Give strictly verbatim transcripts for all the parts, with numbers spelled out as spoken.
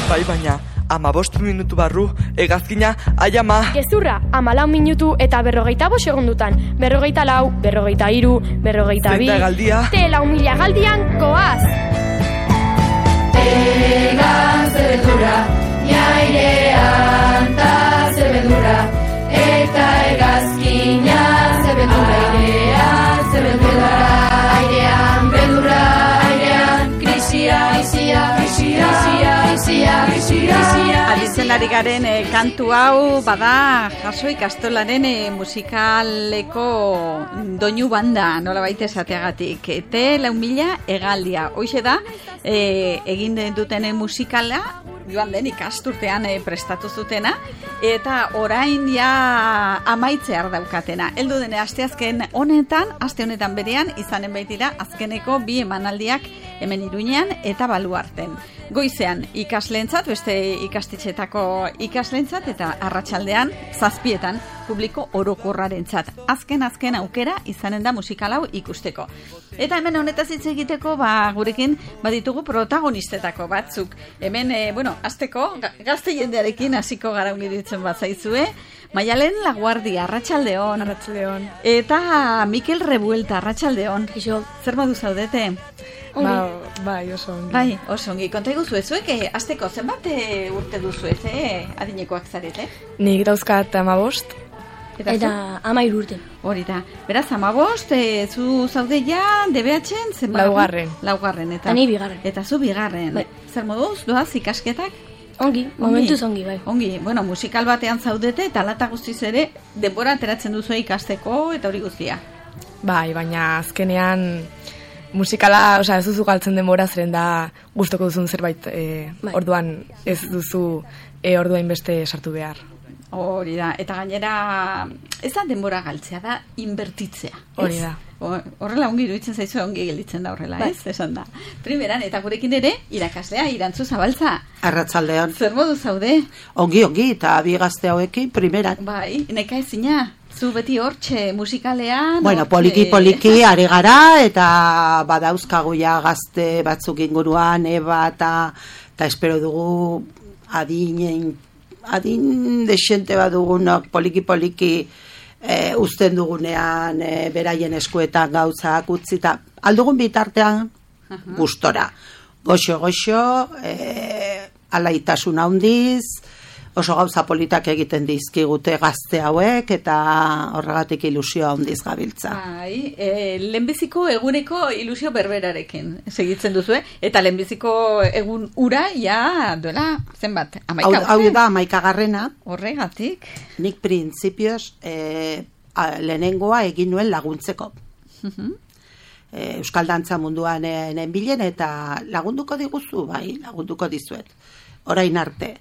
Bai, baina, amabost minutu barru, egazkina, ai ama. Gezurra, amalau minutu eta berrogeita bost segundutan. Berrogeita lau, berrogeita hiru, berrogeita bi. Zenta galdia. Te lau mila galdian, koaz. Egan zebedura, jairean ta zebedura, eta egazkina zebedura, airean zebedura, airean bedura, airean krisia, krisia, krisia, krisia, krisia, krisia. Aditzen ari garen eh, kantu hau bada jaso ikastolaren eh, musikaleko doinu banda, nola baita esateagatik. Te lau mila egaldia. Hoxe da, eh, egin dutenen musikala, joan den ikasturtean eh, prestatu zutena, eta orain ja amaitzear daukatena. Heldu dene asteazken honetan, aste honetan berean, izanen baitira azkeneko bi emanaldiak hemen Iruñean eta Baluarten. Goizean ikasleentzat, beste ikastetxetako ikasleentzat eta arratsaldean zazpietan publiko orokorrarentzat. Azken azken aukera izanen da musikal hau ikusteko. Eta hemen honetaz hitz egiteko, ba gurekin baditugu protagonistetako batzuk. Hemen e, bueno, hasteko gazte jendearekin hasiko gara ongiritzen bat zaizue. Maialen Laguardia, arratsaldeon. Arratsaldeon. Eta Mikel Revuelta, arratsaldeon. Iso. Zer modu zaudete? Ba, bai, oso ongi. Bai, oso ongi. Konta iguzu zuek, eh, azteko zenbat eh, urte duzu ez, eh, adinekoak zarete? Nik dauzkat amabost. Eta, Eta amairu urte. Hori da. Beraz, amabost, eh, zu zaude ja, D B H-en zenbat? Laugarren. Laugarren. Eta, Eta ni bigarren. Eta zu bigarren. Bai. Zer moduz, doaz ikasketak? Ongi, momentuz ongi, bai. Ongi, bueno, musikal batean zaudete eta lata guztiz ere denbora ateratzen duzu ikasteko eta hori guztia. Bai, baina azkenean musikala, osea, ez duzu galtzen denbora zeren da gustoko duzun zerbait e, Bai. orduan ez duzu e, orduain beste sartu behar. Hori da, eta gainera ez da denbora galtzea, da inbertitzea. ez? Hori da. Hor- Horrela ongi iruditzen zaizu, ongi gelditzen da horrela, Bai. ez? Esan da. Primeran, eta gurekin ere, irakaslea, Irantzu Zabaltza. Arratsaldean. Zer modu zaude? Ongi, ongi, eta bi gazte hauekin, primeran. Bai, neka ezina. Zu beti hortxe musikalean. Bueno, hortxe- poliki poliki ari gara, eta badauzkagu ja gazte batzuk inguruan, eba, eta, eta espero dugu adinen, adin desente bat dugunok poliki poliki e, uzten dugunean e, beraien eskuetan gauzak utzi, eta aldugun bitartean gustora. Goxo, goxo, e, alaitasun handiz, oso gauza politak egiten dizkigute gazte hauek, eta horregatik ilusio handiz gabiltza. Bai, e, lehenbiziko eguneko ilusio berberarekin segitzen duzu, eh? Eta lehenbiziko egun ura, ja, duela, zenbat, Hau, amaika hau urte? da, amaikagarrena, Horregatik. nik printzipioz e, a, lehenengoa egin nuen laguntzeko. E, Euskal dantza munduan e, nenbilen, eta lagunduko diguzu, bai, lagunduko dizuet. Orain arte,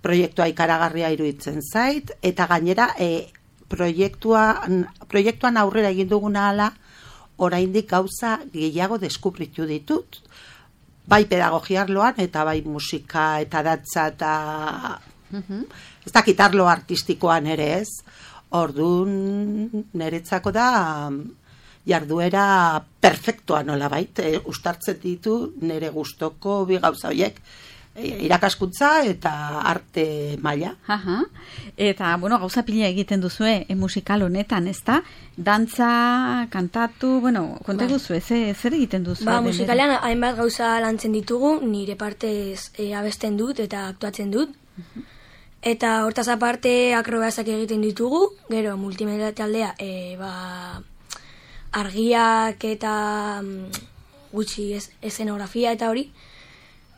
proiektua ikaragarria iruditzen zait, eta gainera e, proiektuan, proiektuan aurrera egin duguna ala, oraindik gauza gehiago deskubritu ditut. Bai pedagogia arloan, eta bai musika eta dantza eta ez dakit arlo artistikoan ere ez. Orduan niretzako da jarduera perfektua nolabait, e, ustartzen ditu nire gustoko bi gauza horiek. Irakaskuntza eta arte maila. Aha. Eta, bueno, gauza pila egiten duzue e, musikal honetan, ezta? Dantza, kantatu, bueno, konta Bai. duzu, ze, zer egiten duzu? Ba, musikalean hainbat gauza lantzen ditugu, nire partez e, abesten dut eta aktuatzen dut. Eta hortaz aparte akrobazak egiten ditugu, gero multimedia taldea, e, ba, argiak eta mm, gutxi ez, eszenografia eta hori.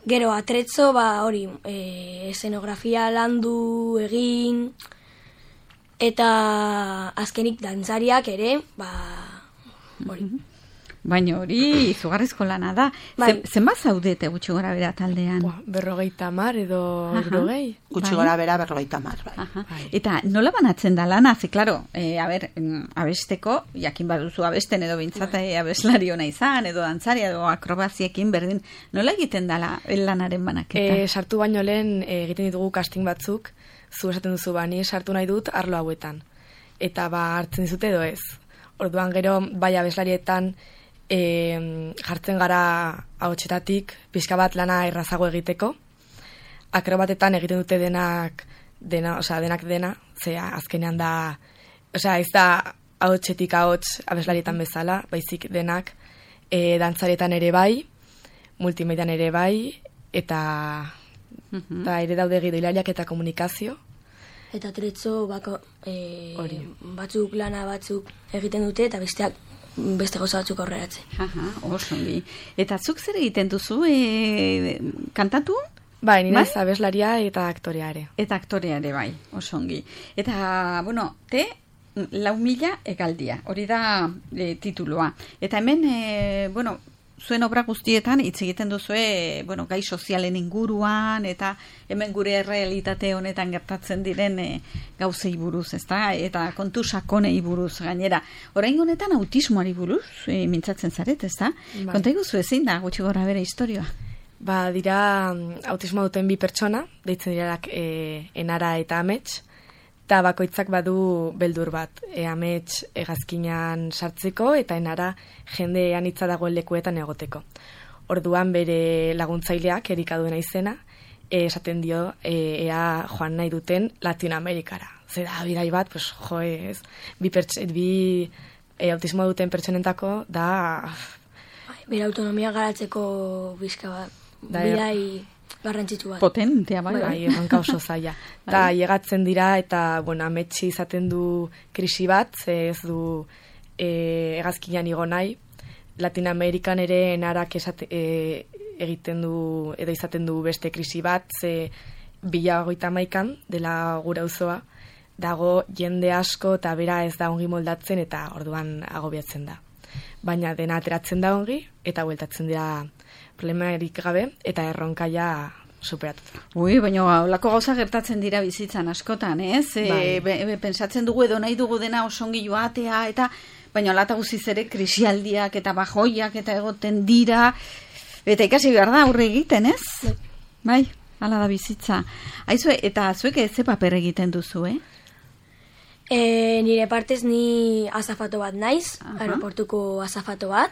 Gero atretzo, ba, hori, e, eszenografia landu egin, eta azkenik dantzariak ere, ba, hori. Baina hori izugarrizko lana da. Bai. Zen, zenbat zaudete gutxi gora bera taldean? Buah, berrogeita mar edo Aha. hirurogei. Gutxi Bai. gora bera berrogeita hamar, bai. Aha. Eta nola banatzen da lana? Ze, klaro, e, a ber, mm, abesteko, jakin baduzu abesten edo bintzat e, abeslari hona izan, edo dantzari edo akrobaziekin berdin, nola egiten dala lanaren banaketa? E, sartu baino lehen e, egiten ditugu casting batzuk, zu esaten duzu, ba, ni sartu nahi dut arlo hauetan. Eta ba, hartzen dizute edo ez. Orduan gero, bai abeslarietan, e, jartzen gara ahotsetatik pixka bat lana errazago egiteko. akrobatetan egiten dute denak, dena, osea, denak dena, zera azkenean da, osea, ez da ahotsetik ahots abeslarietan bezala, baizik denak, e, dantzaretan ere bai, multimedian ere bai, eta, Mhm. eta ere daude gidoilariak eta komunikazio. Eta tretzo bako, e, Hori. batzuk lana batzuk egiten dute eta besteak beste gauza batzuk aurreratzen. Aha, oso ongi. Eta zuk zer egiten duzu, e, kantatu? Bai, nire Bai? abeslaria eta aktorea ere. Eta aktorea ere bai, oso ongi. Eta, bueno, te lau mila egaldia, hori da e, tituloa. Eta hemen, e, bueno, zuen obra guztietan hitz egiten duzue, bueno, gai sozialen inguruan, eta hemen gure realitate honetan gertatzen diren e, gauzei buruz, ezta? Eta kontu sakonei buruz gainera. Orain honetan autismoari buruz, e, mintzatzen zaret, ezta? Bai. Konta iguzu ezin da, gutxi gora bere historioa. Ba, dira mm, autismo duten bi pertsona, deitzen direnak e, Enara eta Amets, eta bakoitzak badu beldur bat, e, Amets hegazkinan sartzeko eta Enara jende anitza dagoen lekuetan egoteko. Orduan bere laguntzaileak, Erika duena izena, e, esaten dio e, ea joan nahi duten Latinoamerikara. Zera, bidai bat, pues, jo, ez, bi, perts bi e, autismo duten pertsonentako da... Bai, bere autonomia garatzeko bizka bat, Da, er- bidai garrantzitsu bat. Potentea, bai, Bai, bai. erronka oso zaila. Eta llegatzen dira eta, bueno, ametsi izaten du krisi bat, ze ez du e, hegazkinan igo nahi. Latinoamerikan ere enarak esate, e, egiten du, edo izaten du beste krisi bat, ze bila hogeita hamaikan dela gura auzoa, dago jende asko eta bera ez da ongi moldatzen eta orduan agobiatzen da. Baina dena ateratzen da ongi eta bueltatzen dira problemarik gabe eta erronkaia superatuta. Ui, baina holako gauza gertatzen dira bizitzan askotan, ez? E, Bai. be, be, pentsatzen dugu edo nahi dugu dena osongi joatea, eta baina lata guziz ere krisialdiak eta bajoiak eta egoten dira, eta ikasi behar da aurre egiten, ez? Bai, hala da bizitza. Aizue, eta zuek ze paper egiten duzu, eh? E, nire partez ni azafato bat naiz, Aha. aeroportuko azafato bat.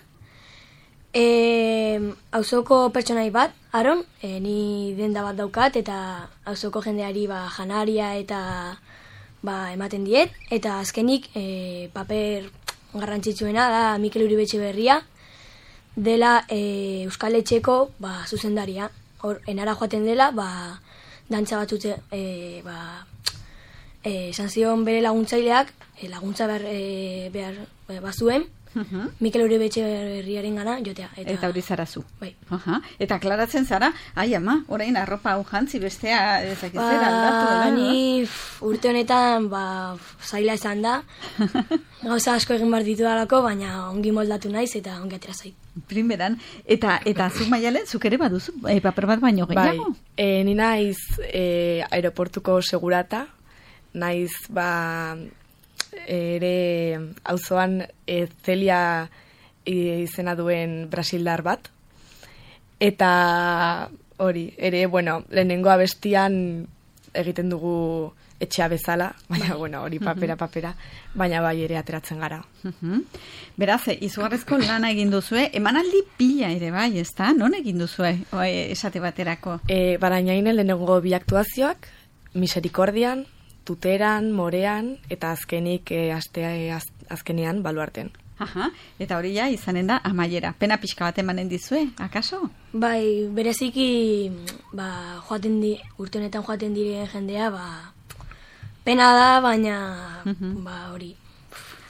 E, auzoko pertsonai bat, Aron, e, ni denda bat daukat eta auzoko jendeari ba, janaria eta ba, ematen diet. Eta azkenik e, paper garrantzitsuena da Mikel Uribe Berria dela e, Euskal Etxeko ba, zuzendaria. Hor, enara joaten dela, ba, dantza batzute, e, ba, e, esan zion bere laguntzaileak, e, laguntza behar, e, behar e, bazuen, Uh-huh. Mikel Uribe Berriaren gana jotea. Eta, Eta hori zara zu. Bai. Aha. Eta klaratzen zara, ai ama, orain arropa hau jantzi bestea ezakizera aldatu. Ba, dela, ni f, urte honetan ba, f, zaila izan da. Gauza asko egin behar ditu dalako, baina ongi moldatu naiz eta ongi atera zait. Primeran, eta eta zuk Maialen, zuk ere baduzu, e, paper bat baino Bai, gehiago? e, ni naiz e, aeroportuko segurata, naiz ba ere auzoan e, Celia izena duen brasildar bat, eta hori, ere, bueno, lehenengo abestian egiten dugu etxea bezala, baina, bueno, hori papera, papera, baina bai ere ateratzen gara. Mhm. Beraz, izugarrezko lana egin duzue, emanaldi pila ere bai, ezta? Non egin duzue, o, e, esate baterako? E, Barainainen lehenengo bi aktuazioak, Misericordian, Tuteran, Morean, eta azkenik e, astea e, az, azkenean baluarten. Aha, eta hori ja izanen da amaiera. Pena pixka bat emanen dizue, akaso? Bai, bereziki ba, joaten di, urte honetan joaten diren jendea, ba, pena da, baina Mhm. ba, hori.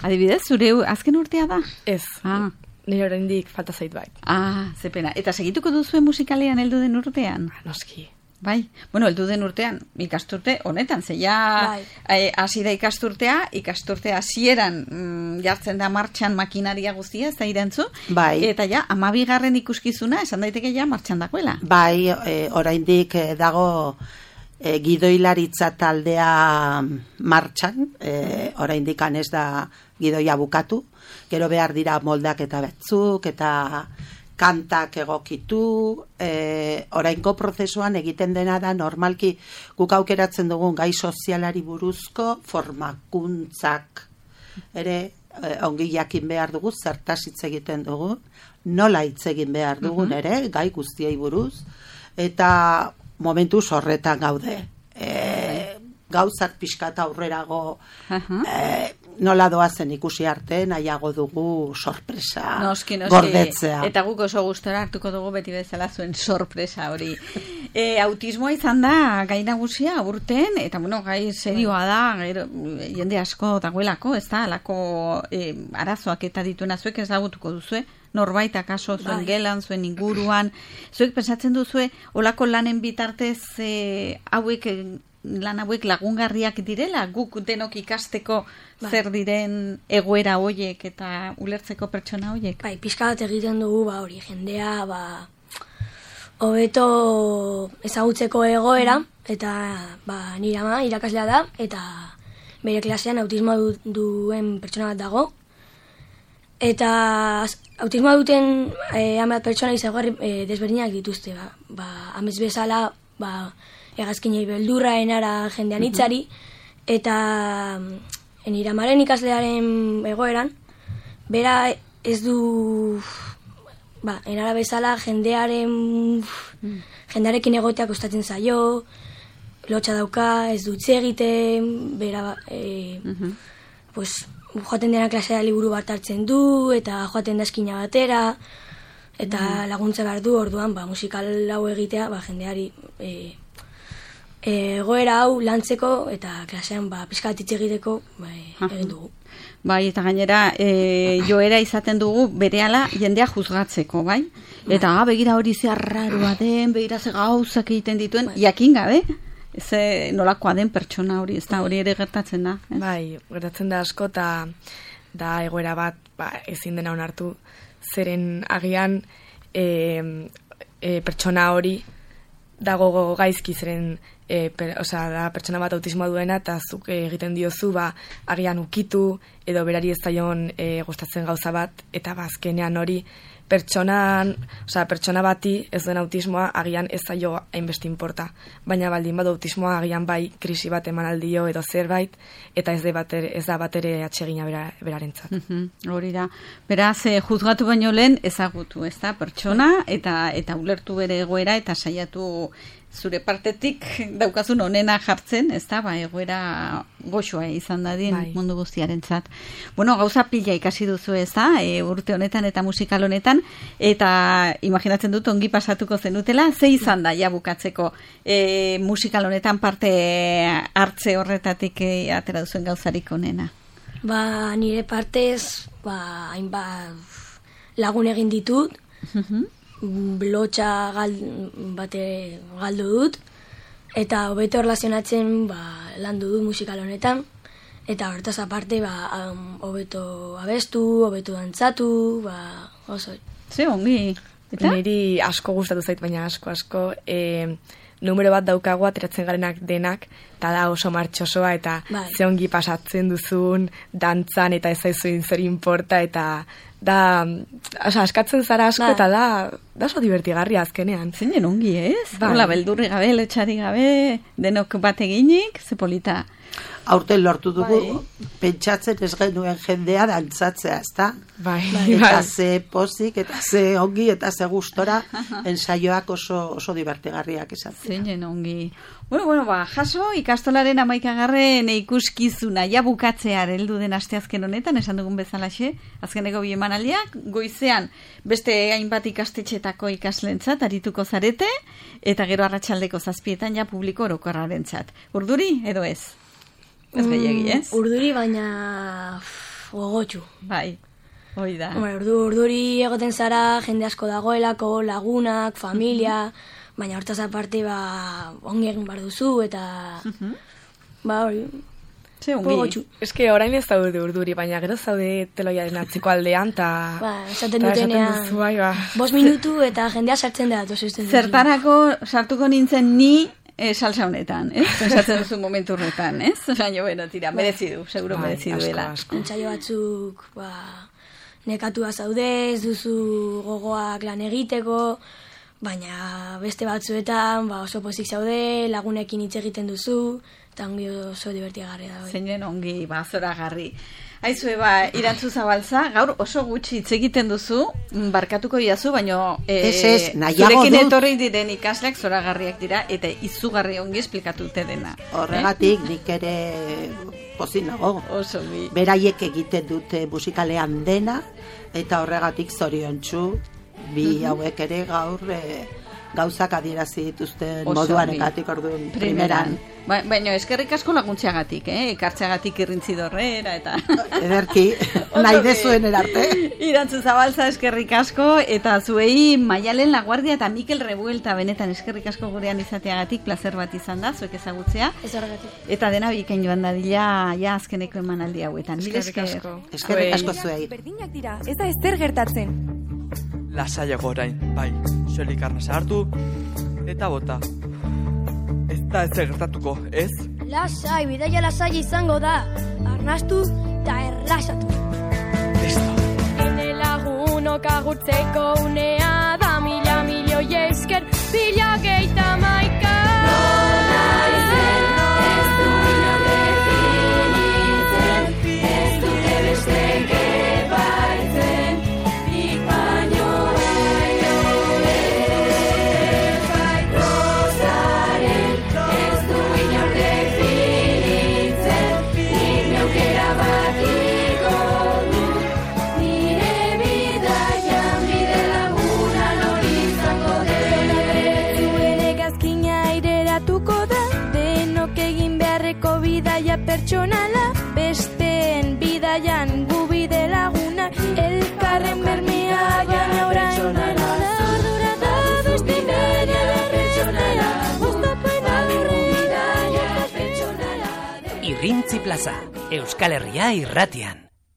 Adibidez, zure azken urtea da? Ez, Ah. nire oraindik falta zait bai. Ah, ze pena. Eta segituko duzue musikalean heldu den urtean? Noski. Bai, bueno, heldu den urtean, ikasturte honetan, ze ja Bai. eh, hasi da ikasturtea, ikasturte hasieran mm, jartzen da martxan makinaria guztia, ez da irantzu? Bai. Eta ja, amabigarren ikuskizuna, esan daiteke ja martxan dagoela. Bai, e, oraindik e, dago e, gidoilaritza taldea martxan, e, oraindik ez da gidoia bukatu, gero behar dira moldak eta betzuk, eta kantak egokitu, e, oraingo prozesuan egiten dena da normalki guk aukeratzen dugun gai sozialari buruzko formakuntzak ere e, ongi jakin behar dugu, zertaz hitz egiten dugu, nola hitz egin behar dugun ere, gai guztiei buruz, eta momentu horretan gaude. E, gauzak pixkat aurrerago e, nola doazen ikusi arte, nahiago dugu sorpresa noski, noski. gordetzea. Eta guk oso gustora hartuko dugu beti bezala zuen sorpresa hori. E, autismoa izan da gai nagusia urten, eta bueno, gai serioa da, gero, jende asko dagoelako, ez da, alako e, arazoak eta dituena zuek ezagutuko duzue, norbait akaso zuen bai. Gelan, zuen inguruan, zuek pensatzen duzue, olako lanen bitartez e, hauek lan hauek lagungarriak direla, guk denok ikasteko bai. Zer diren egoera hoiek eta ulertzeko pertsona hoiek. Bai, pixka bat egiten dugu, ba, hori jendea, ba, hobeto ezagutzeko egoera, eta ba, nire ama irakaslea da, eta bere klasean autismoa du, duen pertsona bat dago, eta autismoa duten eh, hainbat pertsona izagarri eh, desberdinak dituzte, ba, ba, amez bezala, ba, hegazkinei beldurra enara jendean hitzari, eta nire amaren ikaslearen egoeran, bera ez du, ba, enara bezala jendearen, mm. jendearekin egotea kostatzen zaio, lotxa dauka, ez dut egiten, bera, e, uh-huh. pues, joaten dena klasea liburu bat hartzen du, eta joaten da eskina batera, eta uh-huh. laguntza behar du, orduan, ba, musikal hau egitea, ba, jendeari, e, egoera hau lantzeko eta klasean ba, pixkat hitz egiteko ba, egin dugu. Bai, eta gainera e, joera izaten dugu berehala jendea juzgatzeko, bai? Eta bai. Begira hori ze arraroa den, begira ze gauzak egiten dituen, bai. Jakin gabe, ze nolakoa den pertsona hori, ez da hori ere gertatzen da. Ez? Bai, gertatzen da asko, eta da egoera bat ba, ezin dena onartu, zeren agian e, e, pertsona hori dago gaizki, zeren E, per, osea, da pertsona bat autismoa duena eta zuk e, egiten diozu ba, agian ukitu edo berari ez zaion e, gustatzen gauza bat eta bazkenean hori pertsonan, osea, pertsona bati ez duen autismoa agian ez zaio hainbeste inporta, baina baldin badu autismoa agian bai krisi bat eman aldio edo zerbait eta ez, batere, ez da batere atsegina bera, berarentzat. Mm-hmm, hori da. Beraz, eh, juzgatu baino lehen ezagutu, ez da, pertsona eta, eta ulertu bere egoera eta saiatu zure partetik daukazun onena jartzen, ez da, ba, egoera goxoa izan dadin bai. Mundu guztiarentzat. Bueno, gauza pila ikasi duzu, ez da, e, urte honetan eta musikal honetan, eta imaginatzen dut ongi pasatuko zenutela, ze izan da, ja bukatzeko e, musikal honetan parte hartze horretatik e, atera duzuen gauzarik onena? Ba, nire partez, ba, hainbat lagun egin ditut, uh-huh. Blotxa gal, bate galdu dut, eta hobeto erlazionatzen ba, landu dut musikal honetan, eta hortaz aparte ba, um, hobeto abestu, hobeto dantzatu, ba, oso. Ze ongi. Eta? Niri asko gustatu zait, baina asko, asko, e, numero bat daukagu ateratzen garenak denak, eta da oso martxosoa, eta bai. Ze ongi pasatzen duzun, dantzan, eta ez zaizuin zer inporta, eta da, oza, askatzen zara asko, ba. Eta da, da oso divertigarria azkenean. Zeinen ongi, ez? Ba. Hola, beldurri gabe, letxari gabe, denok bat eginik, ze polita. Aurten lortu dugu, bai. Pentsatzen ez genuen jendea dantzatzea, ez da? Bai. Eta ze pozik, eta ze ongi, eta ze gustora, ensaioak oso, oso divertigarriak izan. Zeinen ongi. Bueno, bueno, ba, jaso, ikastolaren amaikagarren ikuskizuna, ja bukatzear heldu den asteazken honetan, esan dugun bezalaxe, azkeneko bi emanaldiak, goizean beste hainbat ikastetxetako ikaslentzat arituko zarete, eta gero arratsaldeko zazpietan ja publiko orokorrarentzat. Urduri edo ez? Ez gehiagi, ez? Mm, urduri, baina gogotxu. Bai, hoi da. Urdu, urduri egoten zara, jende asko dagoelako, lagunak, familia, baina hortaz aparte, ba, ongi egin bar duzu, eta, uh-huh. ba, hori, ze ongi. Ez que orain ez daude urduri, baina gero zaude teloiaren atziko aldean, eta... Ba, esaten dutenean, duzu, bai, ba. Bost minutu eta jendea sartzen da, toz esten duzu. Zertarako sartuko nintzen ni, E, salsa honetan, ez? Pensatzen duzu momentu horretan, ez? Baina, bueno, tira, merezi du, seguro merezi duela. Entsaio batzuk, ba, nekatua zaude, ez duzu gogoak lan egiteko, baina beste batzuetan, ba, oso pozik zaude, lagunekin hitz egiten duzu, eta ongi oso divertigarria da. Zeinen ongi, ba, zoragarri. Aizu, eba, Irantzu Zabalza, gaur oso gutxi hitz egiten duzu, barkatuko diazu, baina e, Ez, ez, nahiago zurekin dut. etorri diren ikasleak zoragarriak dira, eta izugarri ongi esplikatute dena. Horregatik nik ere pozik nago. Oso bi. Beraiek egiten dute musikalean dena, eta horregatik zoriontsu bi hauek ere gaur e, gauzak adierazi dituzten Oso moduan bi. ekatik orduan Primeran. primeran. Ba, baina eskerrik asko laguntzeagatik, eh? Ekartzeagatik irrintzi dorrera, eta... Ederki, nahi dezuen erarte. Irantzu Zabalza eskerrik asko, eta zuei Maialen Laguardia eta Mikel Revuelta benetan eskerrik asko gurean izateagatik, placer bat izan da, zuek ezagutzea. Ez horregatik. Eta dena bikain joan dadila, ja azkeneko emanaldi hauetan. Mil Eskerrik esker. asko. Eskerrik asko zuei. Berdinak dira, ez da ezer gertatzen. Lasaiago orain, bai, soilik arnasa hartu, eta bota. Ez da ez gertatuko, ez? Lasai, bidaia lasai izango da. Arnastu eta erlasatu. Listo. Ene lagunok agurtzeko unea da mila milioi esker bila geita maika. Bidaia pertsonala, besteen bidaian gu bide laguna, elkarren bermea baina orain ardura da beste bidaia pertsonala, oztapen aurrean bidaia pertsonala. Irrintzi Plaza, Euskal Herria irratian.